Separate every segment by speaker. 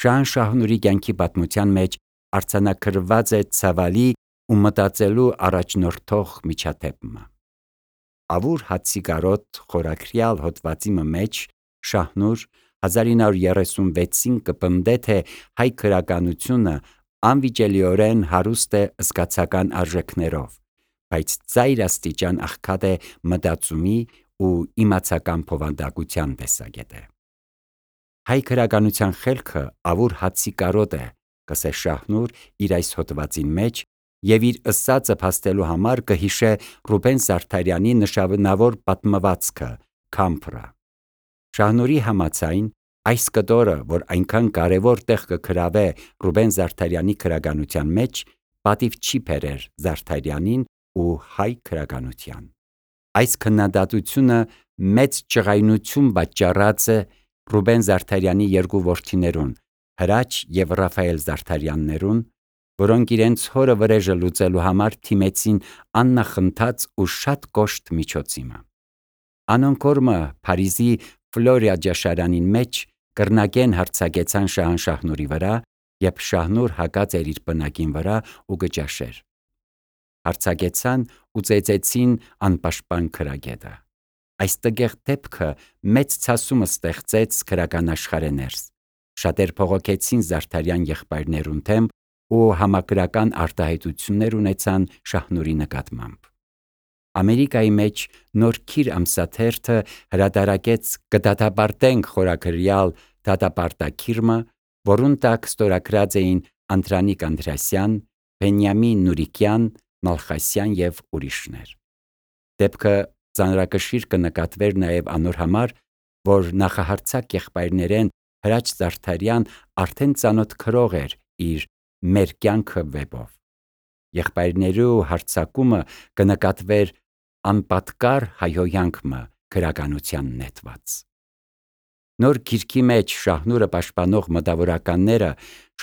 Speaker 1: Շահնուրի կյանքի պատմության մեջ արձանագրված է ցավալի ու մտածելու առաջնորդող միջադեպը։ Ավուր հացի խորագրյալ հոդվածի մեջ Շահնուր 1936-ին կպնդե, թե հայ քրագանությունը անվիճելիորեն հարուստ է զգացական արժեքներով, բայց ծայրաստիճան աղքատ է մտածումի ու իմացական բովանդակության տեսակետը։ Հայ քրագանության խելքը ավուր հացի կարոտ է, կսե Շահնուր իր այս հոդվածին մեջ, և իր ըսածը փաստելու համար կհիշե Ռուբեն Զարդարյանի նշանավոր պատմվածքը «Քամփրը»։ Շահնուրի համաձայն, այս կտորը, որ այնքան կարևոր տեղ կգրավե Ռուբեն Զարդարյանի քրագանության մեջ, պատիվ չի բերեր Զարդարյանին ու հայ քրագանության։ Այս քննադատությունը մեծ ջղայնություն պատճառած է Ռուբեն Զարդարյանի երկու որդիներուն՝ Հրաչ և Ռաֆայել Զարդարյաններուն, որոնք իրենց հորը վրեժը լուծելու համար դիմեցին աննախընթաց ու շատ կոշտ միջոցի։ Անոնք օրը Փարիզի Ֆլորիա ճաշարանին մեջ կրնագեն հարձակեցան Շահնուրի վրա, երբ Շահնուր հագած էր իր պնակին վրա ու կճաշեր։ Հարձակեցան ու ծեծեցին անպաշտպան քրագետը։ Այս տգեղ դեպքը մեծ ցասում ստեղծեց քրական աշխարհի ներս։ Շատեր բողոքեցին Զարդարյան եղբայրներուն դեմ ու համակրական արտահայտություններ ունեցան Շահնուրի նկատմամբ։ Ամերիկայի մեջ Նոր Քիր ամսաթերթը հրատարակեց «Կդատապարտենք» խորագրյալ դատապարտագիրը, որուն տակ ստորագրած էին Անդրանիկ Անդրեասյան, Բենյամին Նուրիկյան, Մալխասյան և ուրիշներ։ Դեպքը ծանրակշիռ կնկատվեր նաև անոր համար, որ նախահարձակ եղբայրներեն Հրաչ Զարդարյան արդեն ծանոթ գրող էր իր «Մեր կյանքը» վեպով։ Եղբայրներու հարձակումը կնկատվեր անպատկար հայհոյանքը գրականության նետված։ Նոր Գիրքի մեջ Շահնուրը պաշտպանող մտավորականները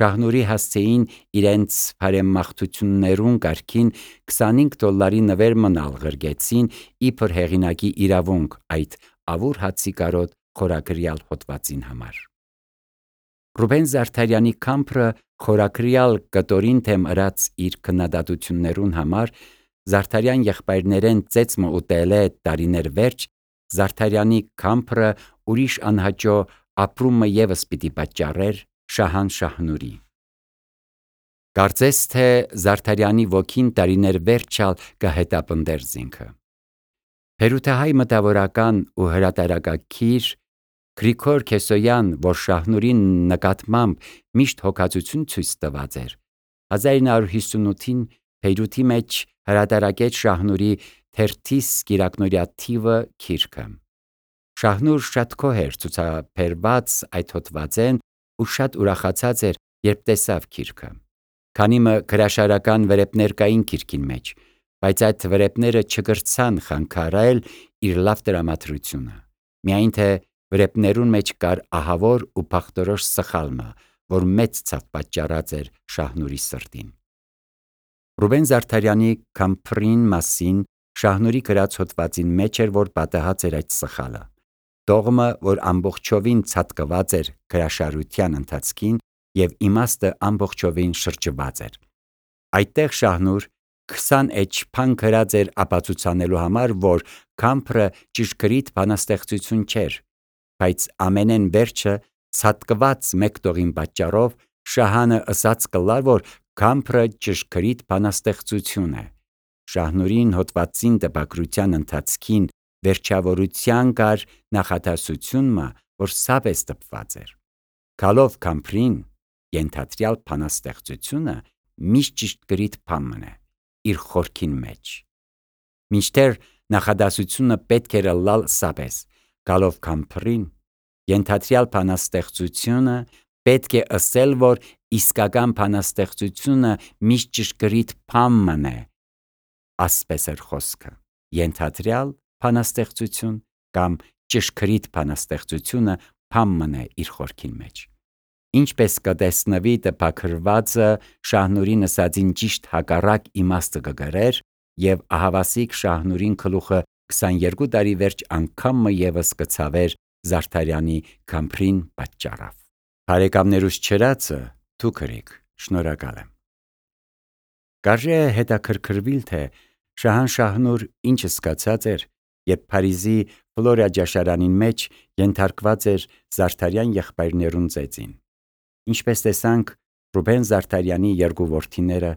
Speaker 1: Շահնուրի հասցեին իրենց բարեմաղթություններուն կարգին $25 նվեր մնալ ղրգեցին իբր հեղինակի իրավունք այդ ավուր հացի կարոտ խորագրյալ հոդվածին համար։ Ռուբեն Զարդարյանի «Քամփրը» խորագրյալ կտորին դեմ ըրած իր քննադատություններուն համար Զարդարյան եղբայրներեն ծեծմը ուտել է տարիներ վերջ, Զարդարյանի «Քամփրը» ուրիշ անհաջո ապրումը ևս պիտի պատճառեր Շահնուրի։ Կարծես թե Զարդարյանի ոգին տարիներ վերջալ կհետապնդեր զինքը։ Բերութահայ մտավորական ու հրատարակագիր Գրիգոր Քեսոյան, որ Շահնուրի նկատմամբ միշտ հոգածություն ցույց տված էր, 1958-ին Բեյրութի մեջ հրատարակեց Շահնուրի «Թերթիս կիրակնօրյա թիվը» գիրքը։ Շահնուր շատ գոհ էր ցուցաբերված այդ հոդվածեն ու շատ ուրախացած էր, երբ տեսավ գիրքը։ Քանի մը գրաշարական վրեպներ կային գիրքին մեջ, բայց այդ վրեպները չկրցան խանգարել իր լավ տրամադրությունը։ Միայն թե վրեպներուն մեջ կար ահավոր ու փախտորոշ սխալմը, որ մեծ ցավ պատճառած էր Շահնուրի սրտին։ Ռուբեն Զարդարյանի «Քամփրին» մասին Շահնուրի գրած հոդվածին մեջ էր, որ պատահած էր այդ սխալը։ Տողմը, որ ամբողջովին ցատկված էր գրաշարության ընթացքին և իմաստը ամբողջովին շրջված էր։ Այդտեղ Շահնուր 20 էջ բան գրած էր ապացուցանելու համար, որ Քամփրը ճշգրիտ բանաստեղծություն չէր, բայց ամենեն վերջը ցատկված մեկ տողին պատճառով Շահանը ըսած կլար, որ Քամփրը ճշգրիտ բանաստեղծություն է։ Շահնուրին հոդվածին տպագրության ընթացքին վերջավորության կար նախադասությունը, որ սապես տպված էր. «Գալով Քամփրին, ենթադրյալ բանաստեղծությունը միշտ ճշգրիտ բան է իր խորքին մեջ»։ Մինչդեռ նախադասությունը պետք էր ըլլալ սապես. «Գալով Քամփրին, ենթադրյալ բանաստեղծությունը պետք է ըսել, որ իսկական բանաստեղծությունը միշտ ճշգրիտ բան է», ասպես էր խոսքը, ենթադրյալ բանաստեղծություն կամ ճշգրիտ բանաստեղծությունը բան է իր խորքին մեջ։ Ինչպես կտեսնվի տպագրվածը Շահնուրին ըսածին ճիշտ հակառակ իմաստը կգրեր, և ահավասիկ Շահնուրին գլուխը 22 տարի վերջ անգամ ևս կցավեր Զարդարյանի «Քամփրին» պատճառով։ Բարեկամներուս չրացը թուքրիկ, շնորհակալ եմ։ Կարժե հետաքրքրվել, թե Շահանշահնուր ինչ զգացած էր, երբ Փարիզի Ֆլորիա ջաշարանին մեջ ենթարկված էր Զարդարյան եղբայրներուն ծեծին։ Ինչպես տեսանք, Ռուբեն Զարդարյանի երկու որդիները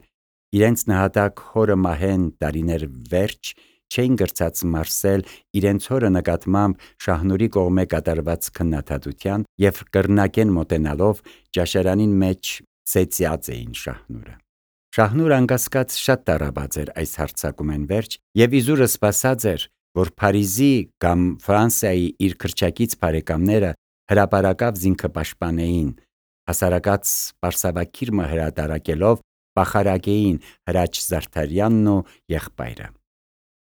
Speaker 1: իրենց նահատակ հորը մահեն տարիներ վերջ չէին գրծած մարսել իրենց հորը նկատմամբ Շահնուրի կողմէ կատարված քննադատության եւ կրնակեն մոտենալով ջաշարանին մեջ ծեծած էին Շահնուրը։ Շահնուրը անկասկած շատ տառապած էր այս հարձակումեն վերջ եւ իզուրը սպասած էր, որ Փարիզի կամ Ֆրանսիայի իր քրչակից բարեկամները հրապարակավ զինքը պաշտպանեին, հասարակած Պարսավակիրմը հրատարակելով պախարակեին Հրաչ Զարդարյանն ու եղբայրը։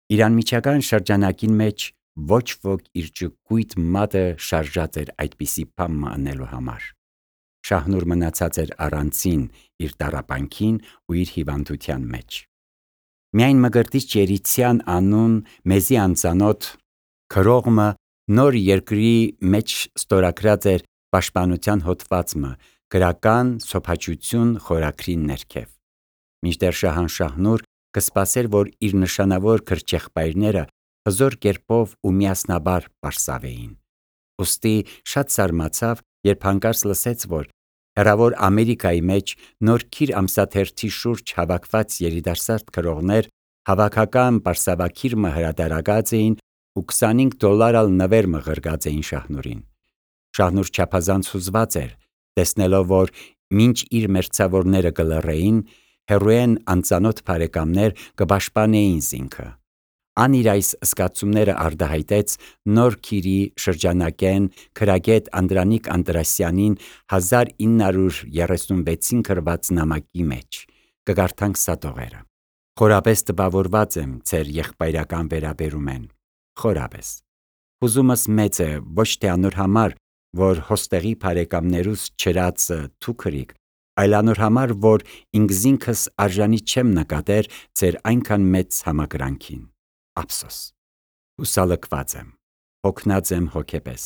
Speaker 1: Իրանմիջական շրջանակին մեջ ոչ ոք իր ճկույտ մատը շարժած էր այդպիսի բամը անելու համար։ Շահնուր մնացած էր առանցին իր տառապանքին ու իր հիվանդության մեջ։ Միայն Մկրտիչ Երիցյան անուն մեզի անծանոթ քրողմը նոր երկրի մեջ ստորագրած էր պաշտպանության հոդվածը գրական սոփաչություն խորագրին ներքև։ Մինչդեռ Շահանշահնուր կսպասեր, որ իր նշանավոր քրչեղբայրները հզոր կերպով ու միասնաբար պարսավեին։ Ոստի շատ զարմացավ, երբ հանկարծ լսեց, որ հեռավոր Ամերիկայի մեջ նոր քիր ամսաթերթի շուրջ հավաքված երիտասարդ քրողներ հավաքական Պարսավակիրմը հրատարակած էին ու $25 նվեր մղրգած էին Շահնուրին։ Շահնուր չափազանց հուզված էր, տեսնելով, որ մինչ իր մերձավորները կլռեին, հեռուեն անծանոթ բարեկամներ կպաշտպանեին զինքը։ Ան իր այս զգացումները արտահայտեց նոր քիրի շրջանակեն քրագետ Անդրանիկ Անդրասյանին 1936-ին գրված նամակի մեջ։ Կգարթանք սատողերը։ Խորապես տպավորված եմ ձեր եղբայրական վերաբերումեն։ Խորապես։ Հուզումս մեծ է ոչ թե անոր համար, որ հոստեղի բարեկամներուս չրացը թուքրիկ, այլ անոր համար, որ ինքզինքս արժանի չեմ նկատեր ձեր այնքան մեծ համակրանքին։ Ափսոս։ Հուսալքված եմ, հոգնած եմ հոգեպես,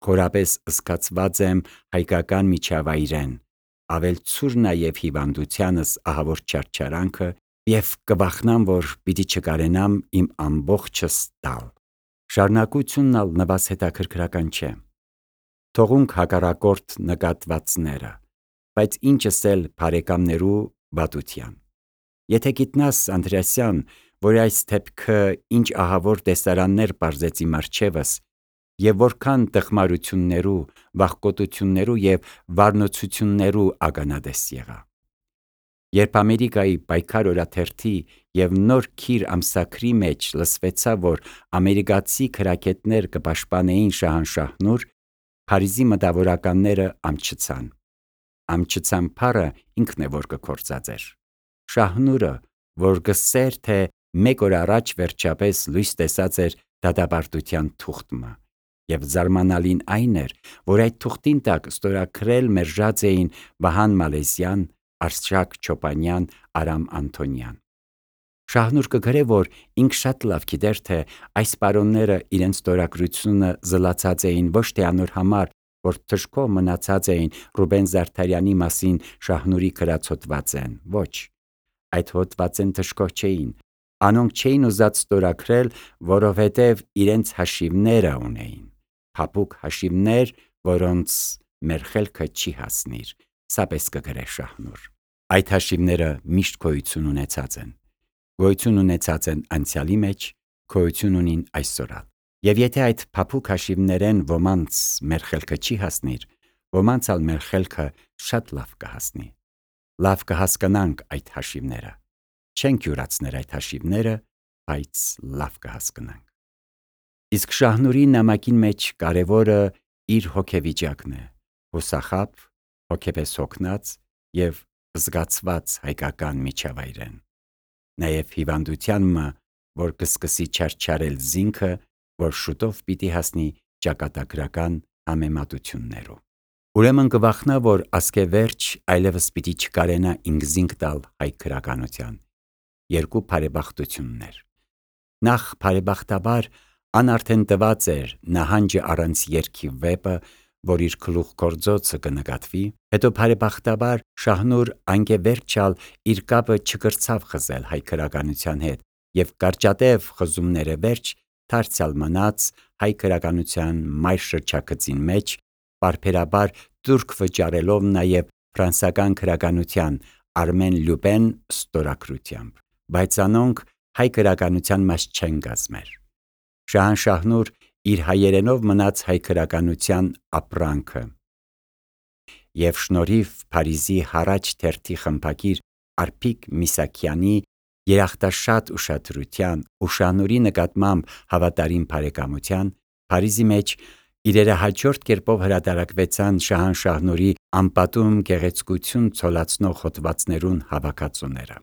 Speaker 1: խորապես զգացված եմ հայկական միջավայրեն, ավել ցուր նաև հիվանդությանս ահավոր չարչարանքը եւ կվախնամ, որ պիտի չկարենամ իմ ամբողջս տալ։ Շարունակությունն ալ նվազ հետաքրքրական չէ։ Թողունք հակառակորդ նկատվածները, բայց ինչս էլ բարեկամներու վատության։ Եթե գիտնաս, Անդրեասյան, որ այս դեպքը ինչ ահավոր տեսարաններ պարզեցի մարգչևս եւ որքան տխմարություններու, վախկոտություններու եւ վառնոցություններու ականատես եղա։ Երբ Ամերիկայի պայքար օրաթերթի եւ նոր քիր ամսագրի մեջ լսվեցավ, որ ամերիկացի քրագետներ կպաշտպանեին Շահանշահնուր, Փարիզի մտավորականները ամչցան։ Ամչցան փառը ինքն է որ կկործածեր։ Շահնուրը, որ գսեր, թե մեկ օր առաջ վերջապես լույս տեսած էր դատապարտության թուղթը, եւ զարմանալին այն էր, որ այդ թուղթին տակ ստորագրել մերժած էին Վահան Մալեզյան, Արշակ Չոպանյան, Արամ Անտոնյան։ Շահնուր կգրե, որ ինք շատ լավ գիտեր, թե այս պարոնները իրենց ստորագրությունը զլացած էին ոչ թե անոր համար, որ թշկով մնացած էին Ռուբեն Զարդարյանի մասին Շահնուրի գրած հոդվածեն, ոչ, այդ հոդվածեն թշկով չէին, անոնք չէին ուզած ստորագրել, որովհետև իրենց հաշիվները ունեին, փափուկ հաշիվներ, որոնց մեր խելքը չի հասնիր, սապես կգրե Շահնուր։ Այդ հաշիվները միշտ գոյություն ունեցած են անցյալի մեջ, գոյություն ունին այսօրալ։ Եվ եթե այդ փափուկ հաշիվներեն ոմանց մեր խելքը չի հասնիր, ոմանց ալ մեր խելքը շատ լավ կհասնի։ Լավ կհասկանանք այդ հաշիվները։ Չենք յուրացներ այդ հաշիվները, բայց լավ կհասկանանք։ Իսկ Շահնուրի նամակին մեջ կարևորը իր հոգեվիճակն է, հուսախաբ, հոգեպես հոգնած եւ զգացված հայկական միջավայրեն։ Նաեւ հիվանդությանն, որ կսկսի չարչարել զինքը, որ շուտով պիտի հասնի ճակատագրական համեմատություններով։ Ուրեմն կվախնա, որ ասկեվերջ այլևս պիտի չկարենա ինքզինք տալ հայ քրականության։ Երկու բարեբախտություններ։ Նախ բարեբախտաբար ան արդեն տված էր նահանջը առանց երկի վեպը, որ իր գլուխ գործոցը կնկատվի, հետո բարեբախտաբար Շահնուր անգևերջալ իր կապը չկրցավ խզել հայ քրականության հետ եւ կարճատև խզումները վերջ դարձյալ մնաց հայ քրականության մայր շրջագծին մեջ, պարբերաբար տուրք վճարելով նաեւ ֆրանսական քրականության Արմեն Լյուպեն ստորագրությամբ, բայց անոնք հայ քրականության մաս չեն գազմեր։ Շահնուր իր հայերենով մնաց հայ քրականության ապրանքը եւ շնորհիվ Փարիզի Հարաճ թերթի խմբագիր Արփիկ Միսակյանի երախտաշատ ուշադրության ու Շահնուրի նկատմամբ հավատարիմ բարեկամության Փարիզի մեջ իրերը հաջորդ կերպով հրատարակվեցան Շահնուրի անպատում գեղեցկություն ցոլացնող հոդվածներուն հավաքածուները։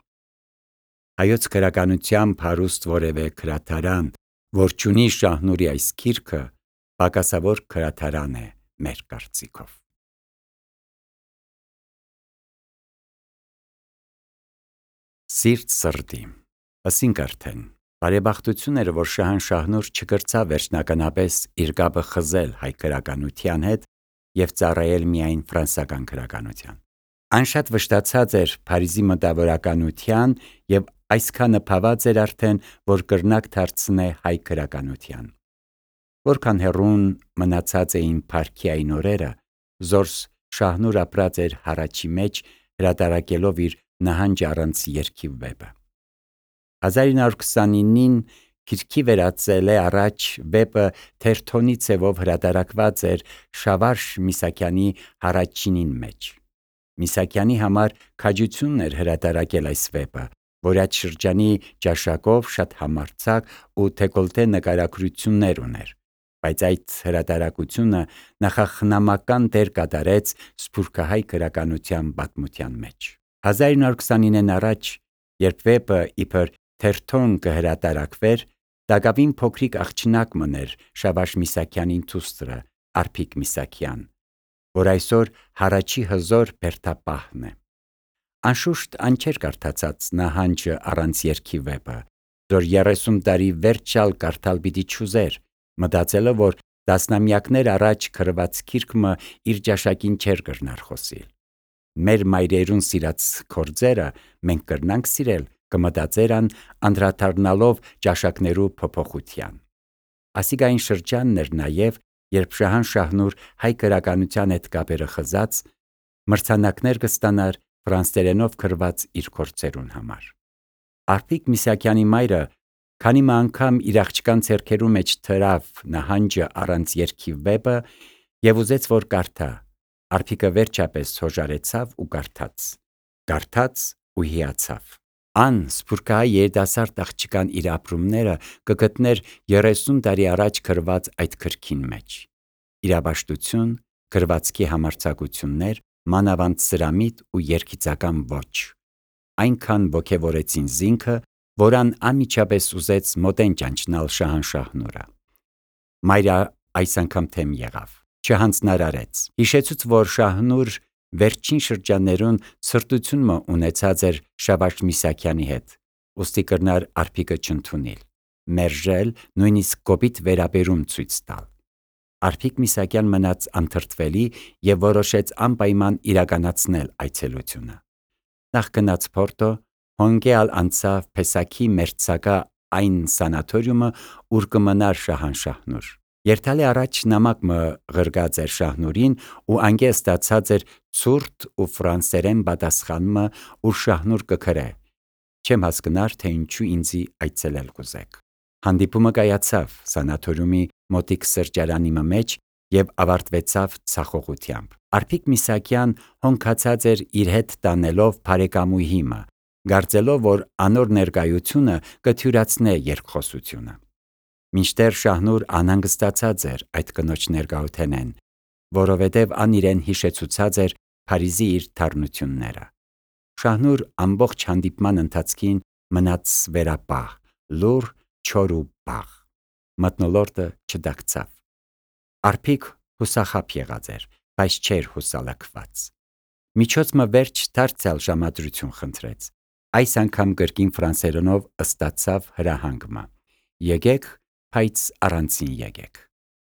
Speaker 1: Հայոց քրականությամբ հարուստ որևէ քրատարան, որ չունի Շահնուրի այս գիրքը, պակասավոր քրատարան է մեր կարծիքով։ Սիրտ սրտի, ասինք արդեն, բարեբախտություն էր, որ Շահնուր չկրցավ վերջնականապես իր կապը խզել հայ քրականության հետ եւ ծառայել միայն ֆրանսական քրականության։ Այն շատ վշտացած էր Փարիզի մտավորականության եւ այսքանը փաված էր արդեն, որ կրնակ դարձնե հայ քրականության։ Որքան հեռուն մնացած էին փառքի այն օրերը, զորս Շահնուր ապրած էր Հարաճի մեջ, հրատարակելով իր նահանջ առանց երգի վեպը։ 1929-ին գիրքի վերածել է առաջ վեպը թերթոնի ձևով հրատարակված էր Շավարշ Միսակյանի Հարաճինին մեջ։ Միսակյանի համար քաջություն էր հրատարակել այս վեպը, որ այդ շրջանի ճաշակով շատ համարձակ ու դեկոլտե նկարագրություններ ուներ, բայց այդ հրատարակությունը նախախնամական դեր կատարեց սփյուռքահայ քրականության պատմության մեջ։ 1929-ին առաջ, երբ վեպը իբր թերթոն կհրատարակվեր, Դակավին փոքրիկ աղջնակ մներ Շավարշ Միսակյանին դուստրը Արփիկ Միսակյան, որ այսօր Հարաճի հզոր բերդապահն է։ Անշուշտ ան չէր կարդացած նահանջը առանց երգի վեպը, որ 30 տարի վերջալ կարդալ պիտի չուզեր, մտածելով, որ տասնամյակներ առաջ գրված գիրքը իր ճաշակին չէր կրնար խոսիլ։ Մեր մայրերուն սիրած գործերը մենք կրնանք սիրել, կմտածերան անդրադառնալով ճաշակներու փոփոխության։ Ասիկային շրջանն էր նաև, երբ Շահնուր հայ քրականության հետ կապերը խզած մրցանակներ կստանար ֆրանսերենով գրված իր գործերուն համար։ Արփիկ Միսակյանի մայրը քանի անգամ իր աղջկան ձեռքերու մեջ թրավ նահանջը առանց երգի վեպը եւ ուզեց որ կարդա։ Արփիկը վերջապես հոժարեցավ ու կարդաց ու հիացավ։ Ան սփյուռքահայ երիտասարդ աղջկան իր ապրումները կգտներ 30 տարի առաջ գրված այդ գրքին մեջ։ Իրաբաշտություն, գրվածքի համարձակություններ, մանավանդ սրամիտ ու երգիծական ոճ։ Այնքան ոգևորեցին զինքը, որան անմիջապես ուզեց մոտեն ճանչնալ Շահնուրը։ Մայրը այս անգամ թեմ եղավ, չհանձնարարեց։ Հիշեցուց, որ Շահնուր վերջին շրջաններուն ցրտությունը ունեցած էր Շավարշ Միսակյանի հետ, ուստի կրնար Արփիկը չընդունել, մերժել, նույնիսկ կոպիտ վերաբերում ցույց տալ։ Արփիկ Միսակյան մնաց անթրթվելի եւ որոշեց անպայման իրականացնել այցելությունը։ Նախ գնաց Պորտո, հոնգեալ անցավ Փեսակի մերձակա այն սանատորիումը, ուր կմնար Շահնուր։ Երթալի առաջ նամակ մը ղրգած էր Շահնուրին ու անգե ստացած էր ցուրտ ու ֆրանսերեն պատասխանը, ուր Շահնուր կգրե. «Չեմ հասկնար, թե ինչու ինձի այցելել կուզեք»։ Հանդիպումը կայացավ սանատորիումի մոտիկ սրճարանի մեջ եւ ավարտվեցավ ցախողությամբ։ Արփիկ Միսակյան հոնքացած էր իր հետ տանելով բարեկամուհիմը, կարծելով, որ անոր ներկայությունը կթյուրացնե երկխոսությունը։ Մինչդեռ Շահնուր անհանգստացած էր այդ կնոջ ներկայութենեն, որովհետև ան իրեն հիշեցուցած էր Փարիզի իր թարնությունները։ Շահնուր ամբողջ հանդիպման ընթացքին մնաց վերապահ, լուռ, չոր ու բաղ։ Մթնոլորտը չդակցավ։ Արփիկ հուսախաբ եղած էր, բայց չէր հուսալքված։ Միջոցը վերջ դարձյալ ժամադրություն խնդրեց։ Այս անգամ կրկին ֆրանսերենով ըստացավ հրահանգը. «Եկեք, բայց առանցին եկեք»։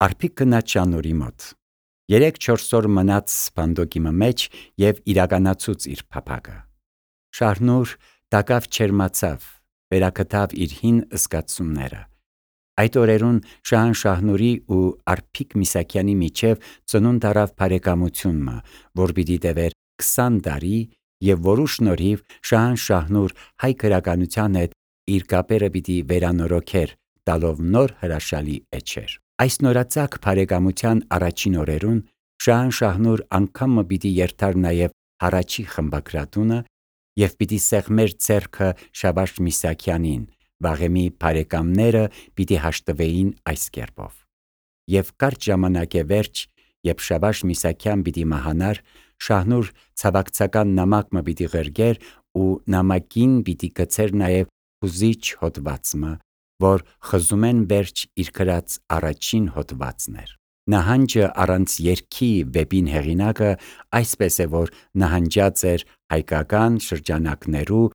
Speaker 1: Արփիկ գնաց Շահնուրի մոտ։ 3-4 օր մնաց սպանդոկի մեջ և իրականացուց իր փափագը։ Շահնուր տակավ չերմացավ, վերակտավ իր հին զգացումները։ Այդ օրերուն Շահնուրի ու Արփիկ Միսակյանի միջև ծնունդ առավ բարեկամությունը, որ պիտի տևեր 20 տարի և որու շնորհիվ Շահնուր հայ գրականության հետ իր կապերը պիտի վերանորոգեր, տալով նոր հրաշալի էջեր։ Այս նորածակ բարեկամության առաջին օրերուն Շահնուր անգամը պիտի երթար նաև Հառաչի խմբագրատունը և պիտի սեղմեր ձեռքը Շավարշ Միսակյանին, վաղեմի բարեկամները պիտի հաշտվեին այս կերպով։ Եվ կարճ ժամանակ է վերջ, երբ Շավարշ Միսակյան պիտի մահանար, Շահնուր ցավակցական նամակ պիտի ղրգեր ու նամակին պիտի գցեր նաև հուզիչ հոդվածը, որ խզումեն վերջ իր գրած առաջին հոդվածն էր։ Նահանջը առանց երգի վեպին հեղինակը այսպես է, որ նահանջած էր հայկական շրջանակներու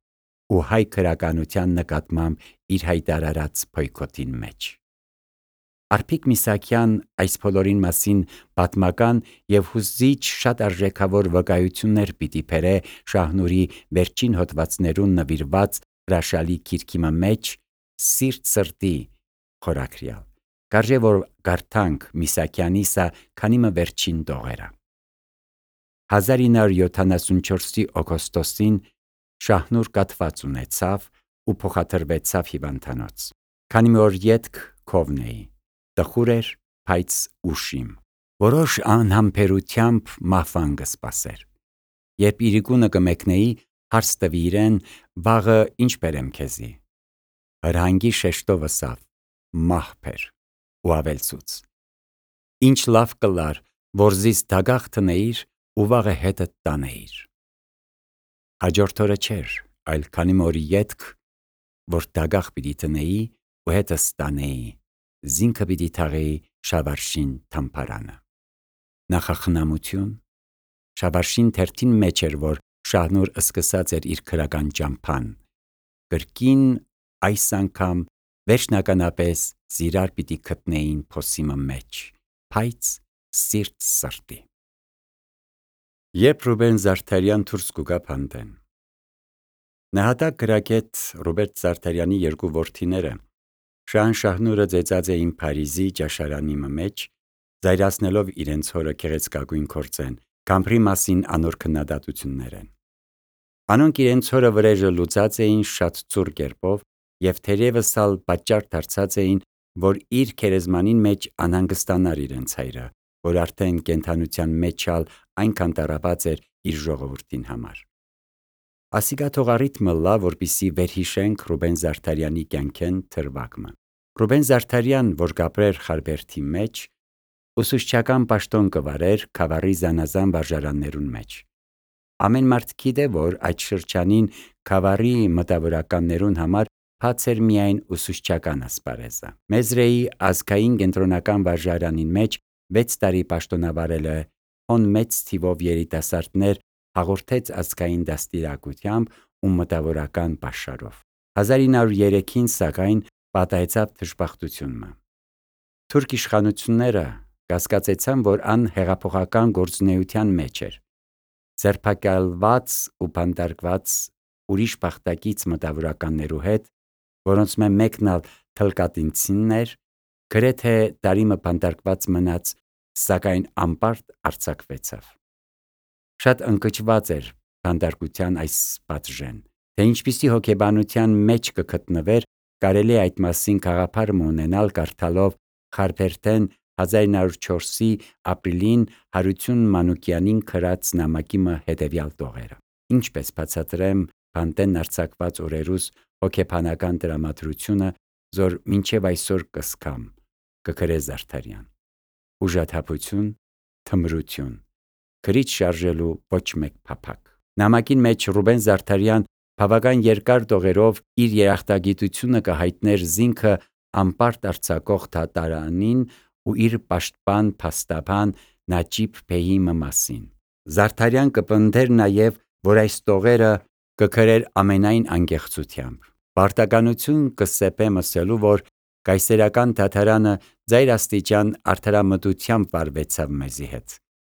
Speaker 1: ու հայ գրականության նկատմամբ իր հայտարարած բոյկոտին մեջ։ Արփիկ Միսակյան այս բոլորին մասին պատմական և հուզիչ շատ արժեքավոր վկայություններ պիտի բերե Շահնուրի վերջին հոդվածներուն նվիրված հրաշալի գիրքի մեջ «Սիրտ սրտի» խորագրյալ։ Կարժե որ կարդանք Միսակյանի սա քանիմը վերջին տողերը։ 1974 օգոստոսին Շահնուր կաթված ունեցավ ու փոխադրվեցավ հիվանդանոց։ Քանի օր ետք քովնեի։ Տխուր էր, բայց ուշիմ։ Որոշ անհամբերությամբ մահվան կսպասեր։ Երբ իրիկունը կմեկնեի, հարց տվի իրեն, վաղը ինչ բերեմ քեզի։ Հրհանգի շեշտով ըսավ, մահբեր, ու ավելցուց. ինչ լավ կլար, որ զիս դագաղ տնեիր ու վաղը հետդ տանեիր։ Հաջորդ օրը չէր, այլ քանի օր ետք, որ դագաղ պիտի տնեի ու հետս տանեի, զինքը պիտի թաղեի Շավարշին թամբարանը։ Նախախնամություն։ Շավարշին թերթին մեջ էր, որ Շահնուր սկսած էր իր գրական ճամփան։ Կրկին այս անգամ վերջնականապես զիրար պիտի գտնեին փոսիմը մեջ, բայց սիրտ սրտի։ Երբ Ռուբեն Զարդարյան դուրս կուգա փանդեն։ Նահատակ գրագետ Ռոբերտ Զարդարյանի երկու որդիները Շահնուրը ծեծած էին Փարիզի ճաշարանի մեջ, զայրացնելով իրենց հորը գեղեցկագույն գործեն, կամբրի մասին անոր քննադատություններ են։ Անոնք իրենց հորը վրեժը լուծած էին շատ ծուռ կերպով և թերևս ալ պատճառ դարձած էին, որ իր գերեզմանին մեջ անհանգստանար իրենց հայրը, որ արդեն կենդանության մեջ ալ այնքան տառապած էր իր ժողովրդին համար։ Ասիկա թող առիթմը լա, որպեսզի վերհիշենք Ռուբեն Զարդարյանի կյանքեն թրվակը։ Ռուբեն Զարդարյան, որ կապրեր Խարբերդի մեջ, ուսուցչական պաշտոն կվարեր Քավառի զանազան վարժարաններուն մեջ։ Ամեն մարդ գիտե, որ այդ շրջանին Քավառի մտավորականներուն համար բաց էր միայն ուսուցչական ասպարեզը։ Մեզրեի ազգային կենտրոնական վարժարանին մեջ 6 տարի պաշտոնավարել է, հոն մեծ թիվով երիտասարդներ հաղորդեց ազգային դաստիարակությամբ ու մտավորական պաշարով։ 1903-ին սակայն պատահեցավ թշպախտությունը։ Թուրք իշխանությունները կասկածեցան, որ ան հեղափոխական գործունեության մեջ էր։ Ձերբակալված ու բանտարկված ուրիշ բախտակից մտավորականներու հետ, որոնց մեկն ալ թլկատինցին էր, գրեթե տարիմը բանտարկված մնաց, սակայն անպարտ արձակվեցավ։ Շատ ընկճված էր բանտարկության այս պատժեն, թե ինչպիսի հոգեբանության մեջ կգտնվեր, կարելի այդ մասին գաղափար ունենալ կարդալով Խարբերդեն 1904-ի ապրիլին Հարություն Մանուկյանին գրած նամակի հետևյալ տողերը։ Ինչպես բացատրեմ բանտեն արձակված օրերուս հոգեբանական տրամադրությունը, որ մինչև այսօր կսկամ, կգրե Զարդարյան։ Ուժաթափություն, թմրություն, գրիչ շարժելու ոչ մեկ փափակ։ Նամակին մեջ Ռուբեն Զարդարյան բավական երկար տողերով իր երախտագիտությունը կհայտներ զինքը անպարտ արձակող դատարանին ու իր պաշտպան փաստաբան Նաջիբ Բեյի մասին։ Զարդարյան կպնդեր նաև, որ այս տողերը կգրեր ամենայն անկեղծությամբ։ Պարտականություն կսեպեմ ասելու, որ կայսերական դատարանը ձայր աստիճան արդարամտությամբ վարվեցավ մեզի հետ։